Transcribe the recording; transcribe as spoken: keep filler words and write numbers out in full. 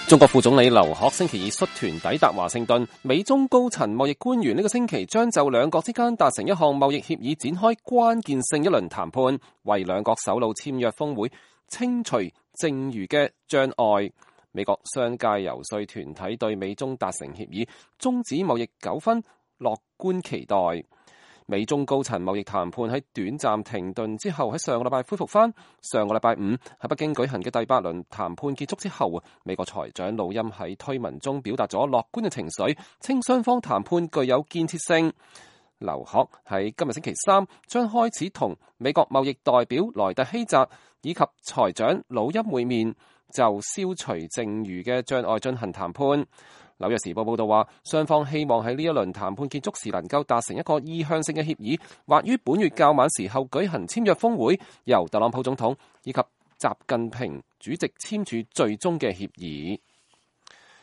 中國副總理劉鶴星期二率團抵達華盛頓，美中高層貿易官員呢個星期將就兩國之間達成一項貿易協議展開關鍵性一輪談判，為兩國首腦簽約峰會清除剩餘嘅障礙。美國商界游說團體對美中達成協議終止貿易糾紛樂觀期待。美中高層貿易談判喺短暫停頓之後，喺上個禮拜恢復翻。上個禮拜五喺北京舉行嘅第八輪談判結束之後，美國財長魯欽喺推文中表達咗樂觀嘅情緒，稱雙方談判具有建設性。劉鶴喺今日星期三將開始同美國貿易代表萊特希澤以及財長魯欽會面，就消除剩餘嘅障礙進行談判。紐約時報報道話，雙方希望喺呢一輪談判結束時能夠達成一個意向性嘅協議，或於本月較晚時候舉行簽約峰會，由特朗普總統以及習近平主席簽署最終嘅協議。